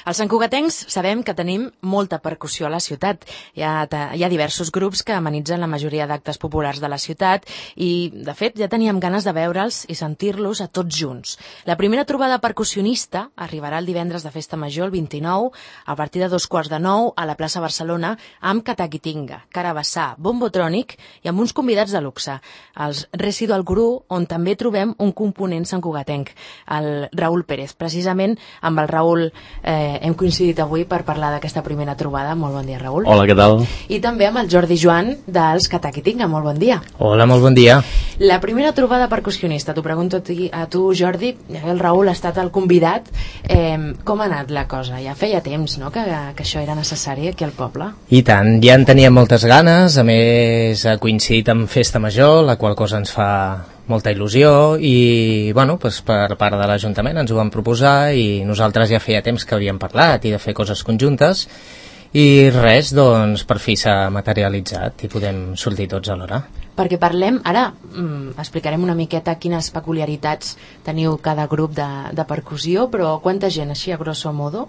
Els santcugatencs sabem que tenim molta percussió a la ciutat. Hi ha diversos grups que amenitzen la majoria d'actes populars de la ciutat i, de fet, ja teníem ganes de veure'ls i sentir-los a tots junts. La primera trobada percussionista arribarà el divendres de Festa Major, el 29, a partir de 8:45 a la plaça Barcelona, amb Cataquitinga, Carabassà, Bombotrònic i amb uns convidats de luxe, els Residual Guru, on també trobem un component santcugatenc, el Raül Pérez. Precisament amb el Raül hem coincidit avui per parlar d'aquesta primera trobada. Molt bon dia, Raül. Hola, què tal? I també amb el Jordi Joan dels Cataquitinga. Molt bon dia. Hola, molt bon dia. La primera trobada percussionista, t'ho pregunto a tu, Jordi, el Raül ha estat el convidat. Com ha anat la cosa? Ja feia temps, no?, que això era necessari aquí al poble. I tant, ja en teníem moltes ganes, a més ha coincidit amb Festa Major, la qual cosa ens fa molta il·lusió i, bueno, doncs per part de l'Ajuntament ens ho van proposar i nosaltres ja feia temps que havíem parlat i de fer coses conjuntes i res, doncs per fi s'ha materialitzat i podem sortir tots alhora. Perquè parlem, ara explicarem una miqueta quines peculiaritats teniu cada grup de percussió, però quanta gent, així a grosso modo,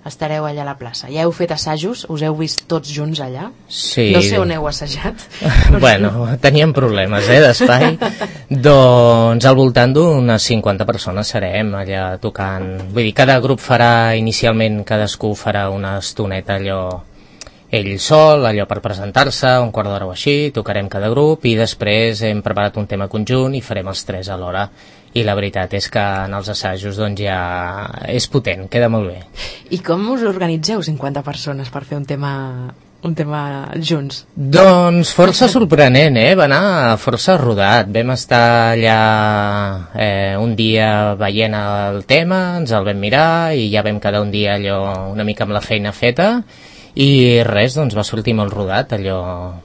estareu allà a la plaça? Ja heu fet assajos? Us heu vist tots junts allà? Sí. No sé on heu assajat. Bueno, teníem problemes, d'espai. Doncs al voltant d'unes 50 persones serem allà tocant. Vull dir, cada grup farà, inicialment cadascú farà una estoneta allò ell sol, allò per presentar-se, un quart d'hora o així, tocarem cada grup i després hem preparat un tema conjunt i farem els tres alhora. I la veritat és que en els assajos doncs ja és potent, queda molt bé. I com us organitzeu 50 persones per fer un tema junts? Doncs força sorprenent, va anar força rodat. Vam estar allà un dia veient el tema, ens el vam mirar i ja vam quedar un dia allò una mica amb la feina feta i res, doncs va sortir molt rodat, allò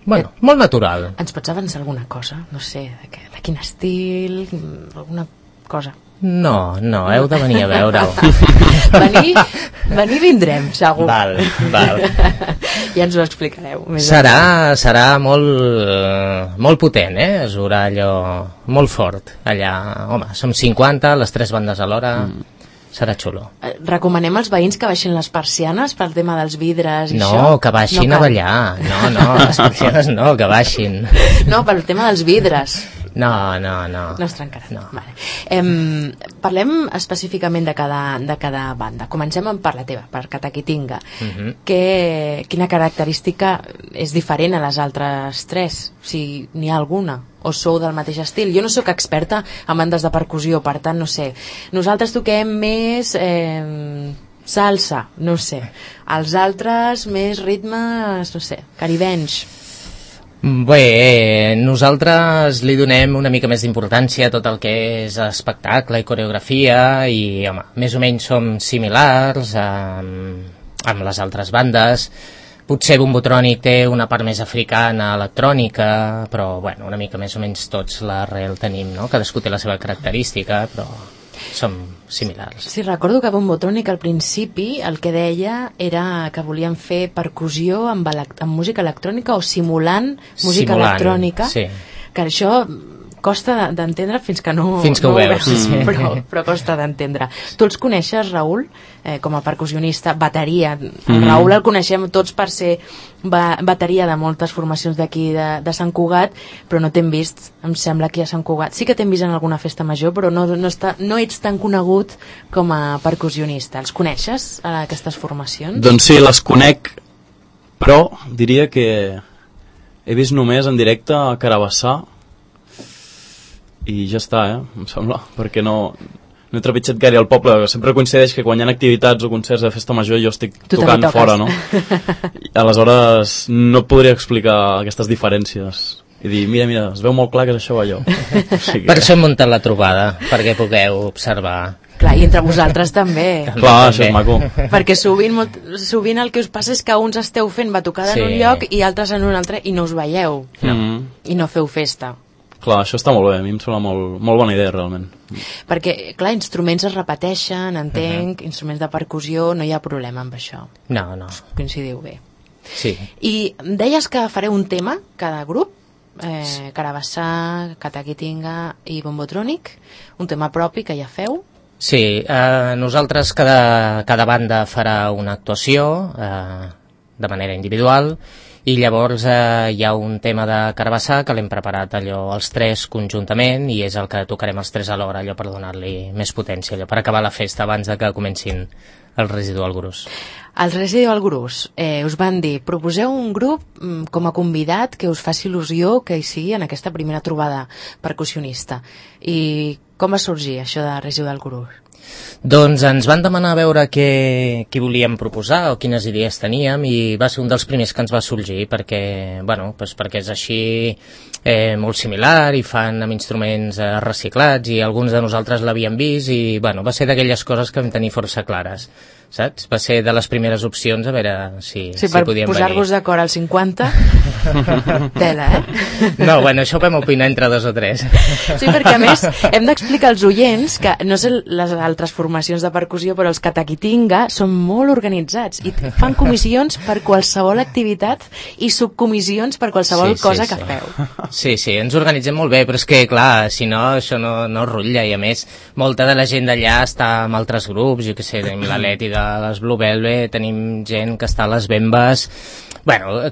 molt natural. Ens pots avançar alguna cosa? No sé, de quin estil, alguna cosa? No, heu de venir a veure-ho. Venir vindrem, segur. Val. Ja ens ho explicareu. Serà molt potent, es veurà allò molt fort allà. Home, som 50, les tres bandes alhora. Serà xulo. Recomanem als veïns que baixin les persianes pel tema dels vidres i això? No, que baixin a ballar. No, les persianes no, que baixin. No, pel tema dels vidres. No. No es trencaran. No. Vale. Parlem específicament de cada banda. Comencem per la teva, per Cataquitinga. Quina característica és diferent a les altres tres? Si n'hi ha alguna? O sou del mateix estil? Jo no sóc experta en bandes de percussió, per tant, no sé. Nosaltres toquem més salsa, no sé. Els altres més ritmes, no sé, caribenys. Bé, nosaltres li donem una mica més d'importància a tot el que és espectacle i coreografia i, home, més o menys som similars amb les altres bandes. Potser Bombotrònic té una part més africana, electrònica, però, bueno, una mica més o menys tots l'arrel tenim, no? Cadascú té la seva característica, però som similars. Sí, recordo que Bombotrònic al principi el que deia era que volien fer percussió amb música electrònica o simulant música electrònica. Sí. Que això costa d'entendre fins que no ho veus. Sí. Però costa d'entendre. Tu els coneixes, Raül, com a percussionista, bateria. El Raül el coneixem tots per ser bateria de moltes formacions d'aquí de Sant Cugat, però no t'hem vist, em sembla, aquí a Sant Cugat. Sí que t'hem vist en alguna festa major, però no ets tan conegut com a percussionista. Els coneixes, aquestes formacions? Doncs sí, les conec, però diria que he vist només en directe a Carabassà i ja està, em sembla, perquè no he trepitjat gaire al poble. Sempre coincideix que quan hi ha activitats o concerts de festa major jo estic tocant fora, no? I aleshores no podria explicar aquestes diferències i dir, mira, es veu molt clar que és això o allò. O sigui per això hem muntat la trobada, perquè pugueu observar. Clar, i entre vosaltres també. Clar, això és maco. Perquè sovint el que us passa és que uns esteu fent batucada en un lloc i altres en un altre i no us veieu. I no feu festa. Clar, això està molt bé, a mi em sembla molt bona idea, realment. Perquè, clar, instruments es repeteixen, entenc, instruments de percussió, no hi ha problema amb això. No. Coincidiu bé. Sí. I deies que fareu un tema, cada grup, Carabassà, Cataquitinga i Bombotrònic, un tema propi que ja feu. Sí, nosaltres cada banda farà una actuació de manera individual i llavors hi ha un tema de carabassar que l'hem preparat allò els tres conjuntament i és el que tocarem els tres alhora, allò per donar-li més potència, allò per acabar la festa abans de que comencin el Residual Grus. Els Residual Grus us van dir, proposeu un grup com a convidat que us faci il·lusió que hi sigui en aquesta primera trobada percussionista. I com va sorgir això de Residual Grus? Doncs ens van demanar a veure què volíem proposar o quines idees teníem i va ser un dels primers que ens va sorgir perquè, perquè és així molt similar i fan amb instruments reciclats i alguns de nosaltres l'havíem vist i va ser d'aquelles coses que vam tenir força clares, saps? Va ser de les primeres opcions a veure si podíem venir. Per posar-vos d'acord al 50, tela, No, això ho vam opinar entre 2 o 3. Sí, perquè a més hem d'explicar als oients que no sé les altres formacions de percussió, però els Katakitinga són molt organitzats i fan comissions per qualsevol activitat i subcomissions per qualsevol cosa que feu. Sí, ens organitzem molt bé, però és que, clar, si no, això no rutlla, i a més, molta de la gent d'allà està amb altres grups, jo què sé, tenim la Leti de les Blue Velvet, tenim gent que està a les Bembes,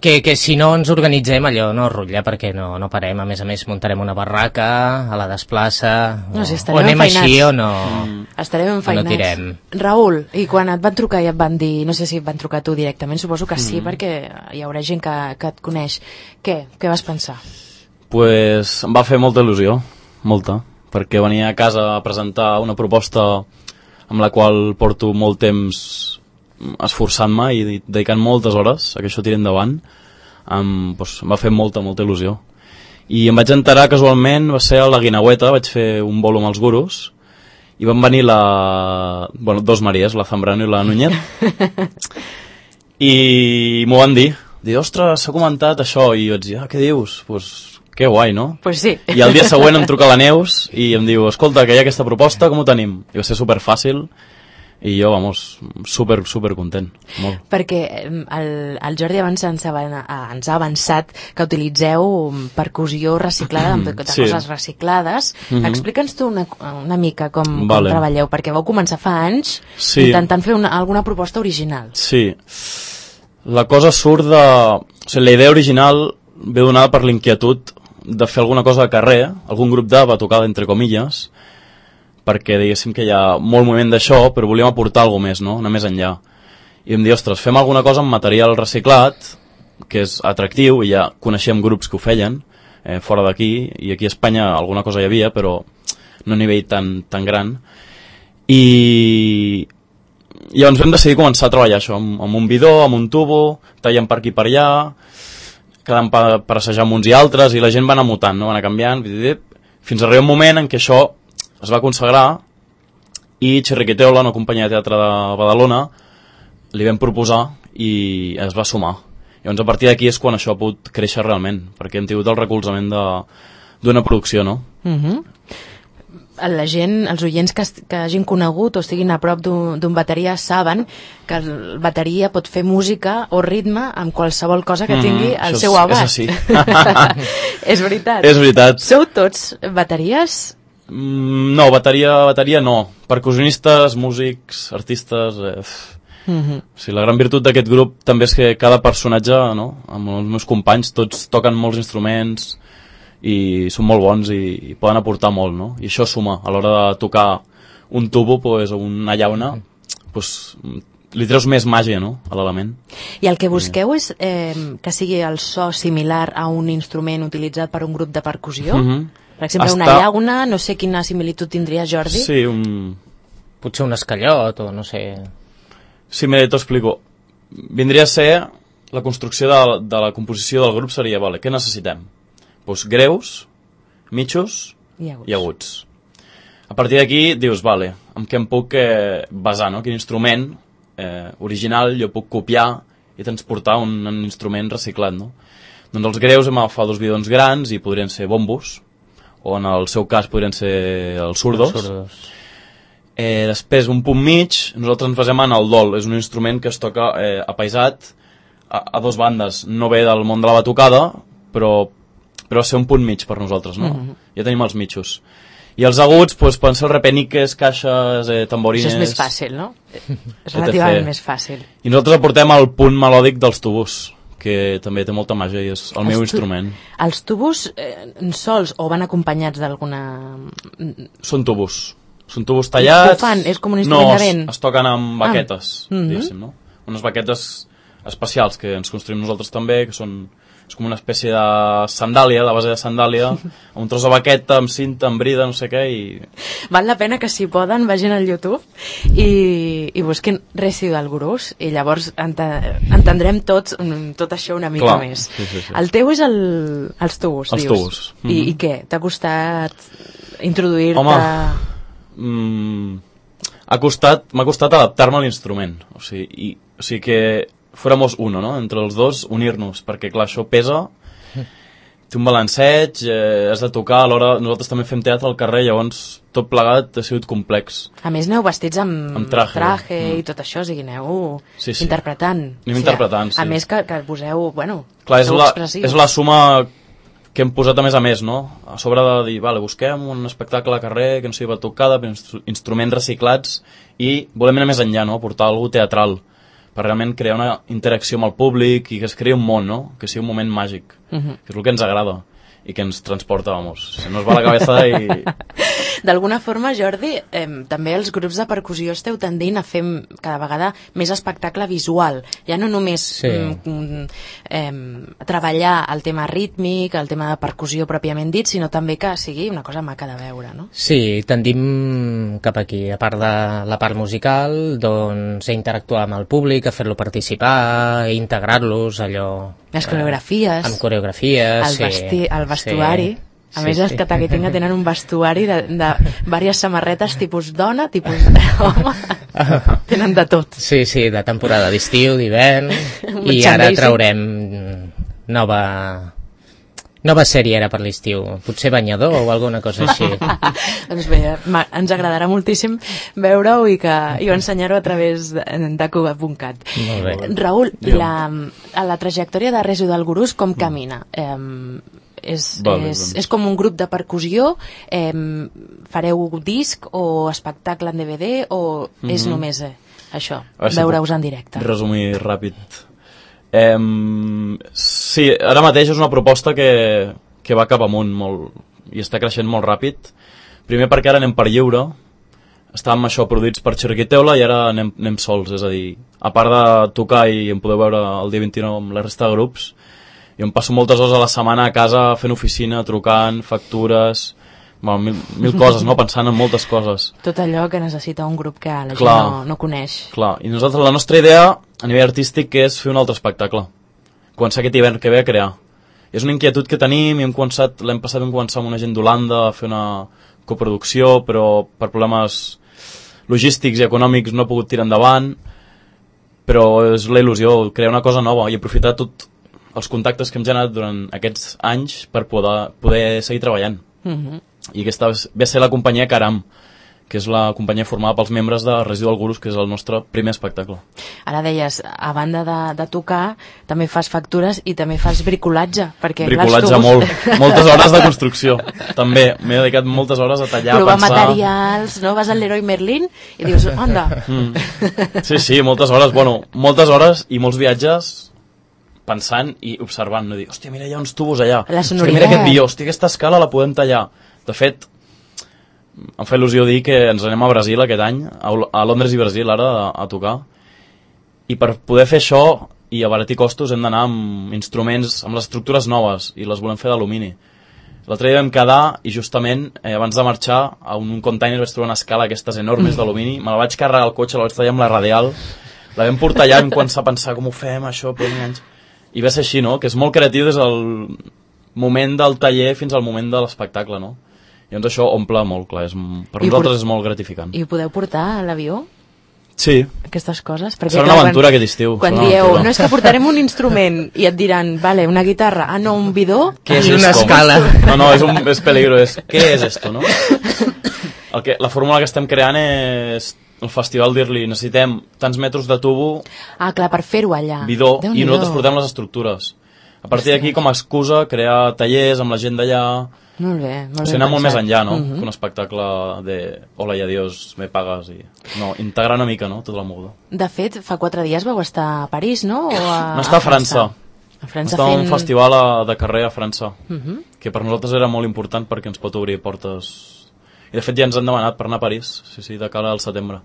que si no ens organitzem allò no rutlla, perquè no parem, a més muntarem una barraca a la desplaça, o anem així o no. Estarem enfeinats. No tirem. Raül, i quan et van trucar i et van dir, no sé si et van trucar tu directament, suposo que sí, perquè hi haurà gent que et coneix, què vas pensar? Pues em va fer molta il·lusió, molta, perquè venia a casa a presentar una proposta amb la qual porto molt temps esforçant-me i dedicant moltes hores a que això tiri endavant. Em va fer molta il·lusió. I em vaig enterar casualment, va ser a la Guinaueta, vaig fer un bolo amb els Gurus, i van venir dos Maries, la Zambrano i la Núñez, i m'ho van dir, ostres, s'ha comentat això, i jo vaig dir, què dius? Que guai, no? Pues sí. I el dia següent em truca la Neus i em diu, escolta, que hi ha aquesta proposta, com ho tenim? I va ser superfàcil i jo, super content, molt. Perquè el Jordi abans ens ha avançat que utilitzeu percussió reciclada, de coses reciclades. Explica'ns tu una mica com treballeu, perquè vau començar fa anys intentant fer alguna proposta original. Sí, la cosa surt de... O sigui, la idea original ve donada per l'inquietud de fer alguna cosa de carrer, algun grup de batucada, entre comilles, perquè diguéssim que hi ha molt moviment d'això, però volíem aportar alguna més, no? Anar més enllà. I em diu, ostres, fem alguna cosa amb material reciclat, que és atractiu, i ja coneixem grups que ho feien, fora d'aquí, i aquí a Espanya alguna cosa hi havia, però no a nivell tan gran. I llavors vam decidir començar a treballar això, amb un bidó, amb un tubo, tallant per aquí per allà, quedant per assajar amb uns i altres, i la gent va anar mutant, no? Va anar canviant, fins a arribar un moment en què això es va consagrar i Chirriquiteola, una companyia de teatre de Badalona, li vam proposar i es va sumar. Llavors a partir d'aquí és quan això ha pogut créixer realment, perquè hem tingut el recolzament d'una producció, no? La gent, els oients que hagin conegut o estiguin a prop d'un bateria saben que el bateria pot fer música o ritme amb qualsevol cosa que tingui al seu abast. És així. És veritat. És veritat. Sou tots bateries? No, bateria no. Percussionistes, músics, artistes... La gran virtut d'aquest grup també és que cada personatge, no? Amb els meus companys, tots toquen molts instruments i són molt bons i poden aportar molt, no? I això suma. A l'hora de tocar un tubo o una llauna, li treus més màgia, no?, a l'element. I el que busqueu és que sigui el so similar a un instrument utilitzat per un grup de percussió? Per exemple, una llauna, no sé quina similitud tindria, Jordi? Sí, potser un escallot o no sé... Sí, mira, t'ho explico. Vindria a ser la construcció de la composició del grup seria, què necessitem? Greus, mitjos i aguts. A partir d'aquí dius, amb què em puc basar, no? Quin instrument original jo puc copiar i transportar un instrument reciclat, no? Doncs els greus hem agafat 2 bidons grans i podrien ser bombos, o en el seu cas podrien ser els surdos. Després, un punt mig, nosaltres ens basem en el dol, és un instrument que es toca apaisat a 2 bandes, no ve del món de la batucada, però va ser un punt mig per nosaltres, no? Ja tenim els mitjos. I els aguts pues, poden ser els repeniques, caixes, tamborines... Això és més fàcil, no? És relativament més fàcil. I nosaltres aportem el punt melòdic dels tubos, que també té molta màgia i és el meu instrument. Els tubos sols o van acompanyats d'alguna... Són tubos tallats... Ho fan? És com un instrument de vent? No, es toquen amb baquetes, diguéssim, no? Unes baquetes especials que ens construïm nosaltres també, que són... És com una espècie de sandàlia, de base de sandàlia, amb un tros de baqueta, amb cinta, amb brida, no sé què, i... Val la pena que, si poden, vagin al YouTube i busquin Residual Gurus, i llavors entendrem tot això una mica més. Sí. El teu és els tubos, els dius. Tubos. I què? T'ha costat introduir-te... Home, m'ha costat adaptar-me a l'instrument. O sigui que fuéramos uno, no? Entre els dos, unir-nos, perquè clar, això pesa, té un balanceig, has de tocar, alhora nosaltres també fem teatre al carrer, llavors tot plegat ha sigut complex. A més, aneu vestits amb traje i tot això, o sigui, aneu interpretant. Anem interpretant, sí. A més que poseu, bueno, clar, és la suma que hem posat a més, no? A sobre de dir, vale, busquem un espectacle al carrer que no sigui batucada, instruments reciclats, i volem anar més enllà, no? Portar alguna teatral, per realment crear una interacció amb el públic i que es creï un món, no? Que sigui un moment màgic, que és el que ens agrada i que ens transporta, vamos, se nos va la cabeza i... D'alguna forma, Jordi, també els grups de percussió esteu tendint a fer cada vegada més espectacle visual, ja no només treballar el tema rítmic, el tema de percussió pròpiament dit, sinó també que sigui una cosa maca de veure, no? Sí, tendim cap aquí, a part de la part musical, doncs a interactuar amb el públic, a fer-lo participar, a integrar-los, allò... Les coreografies. Amb coreografies, el vestuari. A més, els Cataguetinga tenen un vestuari de diverses samarretes tipus dona, tipus home. Tenen de tot. Sí, de temporada d'estiu, d'hivern, i ara traurem nova sèrie era per l'estiu, potser banyador o alguna cosa així. Doncs bé, ens agradarà moltíssim veure-ho i ensenyar-ho a través de Cuba.cat. Raül, la trajectòria de Residual Gurus com camina? És com un grup de percussió, fareu disc o espectacle en DVD o és només això, veure-us en directe? Resumir ràpid. Sí, ara mateix és una proposta que va cap amunt molt, i està creixent molt ràpid. Primer perquè ara anem per lliure, estàvem produïts per Xerquiteula i ara anem sols, és a dir, a part de tocar i em podeu veure el dia 29 amb la resta de grups, jo em passo moltes hores a la setmana a casa fent oficina, trucant, factures, mil coses, no? Pensant en moltes coses. Tot allò que necessita un grup que la gent no coneix. Clar, i nosaltres la nostra idea a nivell artístic és fer un altre espectacle. Començar aquest hivern que ve a crear. És una inquietud que tenim i l'any passat vam començar amb una gent d'Holanda a fer una coproducció, però per problemes logístics i econòmics no ha pogut tirar endavant, però és la il·lusió, crear una cosa nova i aprofitar tot els contactes que hem generat durant aquests anys per poder seguir treballant. I aquesta ve a ser la companyia Caram, que és la companyia formada pels membres de Residual Gurus, que és el nostre primer espectacle. Ara deies, a banda de tocar, també fas factures i també fas bricolatge. Bricolatge moltes hores de construcció. També m'he dedicat moltes hores a tallar, provar materials, no? Vas al Leroy Merlin i dius, anda. Sí, moltes hores. Bueno, moltes hores i molts viatges pensant i observant, no dir, hòstia, mira, hi ha uns tubos allà, hòstia, mira aquest guió, hòstia, aquesta escala la podem tallar. De fet, em fa il·lusió dir que ens anem a Brasil aquest any, a Londres i Brasil ara, a tocar, i per poder fer això i abaratir costos hem d'anar amb instruments, amb les estructures noves, i les volem fer d'alumini. L'altre dia vam quedar i justament abans de marxar a un container vaig trobar una escala aquestes enormes d'alumini, me la vaig carregar al cotxe, la vaig tallar amb la radial, la vam portar allà, vam començar a pensar com ho fem això, i va ser així, no? Que és molt creatiu des del moment del taller fins al moment de l'espectacle, no? I doncs això omple molt, clar, per nosaltres és molt gratificant. I ho podeu portar a l'avió? Sí. Aquestes coses? Serà una aventura aquest estiu. Quan dieu, no és que portarem un instrument i et diran, vale, una guitarra, no, un bidó... Què és una escala? No, és peligro, què és esto, no? La fórmula que estem creant és el festival dir-li, necessitem tants metres de tubo... Ah, clar, per fer-ho allà. Bidó, i nosaltres portem les estructures. A partir d'aquí, com a excusa, crear tallers amb la gent d'allà, Molt bé, molt O sigui, anar molt més enllà, no? Que un espectacle de hola i adiós, me pagues i... No, integrar una mica, no?, tota la moguda. De fet, fa 4 dies vau estar a París, no? No està a França. A França està un festival de carrer a França, que per nosaltres era molt important perquè ens pot obrir portes... I de fet ja ens han demanat per anar a París, sí, de cara al setembre.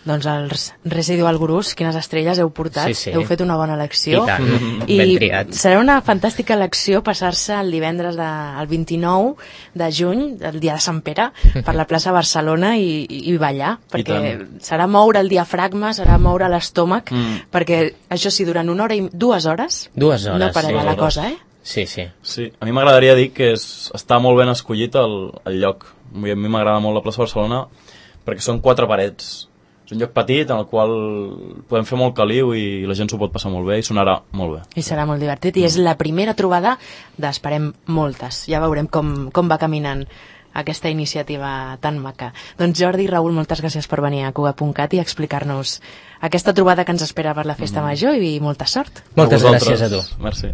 Doncs els Residual Gurus, quines estrelles heu portat, Sí. heu fet una bona elecció. I tant, I ben triat. serà una fantàstica elecció passar-se el divendres el 29 de juny, el dia de Sant Pere, per la plaça Barcelona i ballar, perquè serà moure el diafragma, serà moure l'estómac, perquè això sí, durant 1 hora i 2 hores, no pararà la cosa, eh? Sí. Sí, a mi m'agradaria dir que està molt ben escollit el lloc. A mi m'agrada molt la plaça Barcelona perquè són 4 parets. És un lloc petit en el qual podem fer molt caliu i la gent s'ho pot passar molt bé i sonarà molt bé. I serà molt divertit i és la primera trobada d'esperem moltes. Ja veurem com va caminant aquesta iniciativa tan maca. Doncs Jordi i Raül, moltes gràcies per venir a Cugat.cat i explicar-nos aquesta trobada que ens espera per la Festa Major i molta sort. Moltes gràcies a tu. Merci.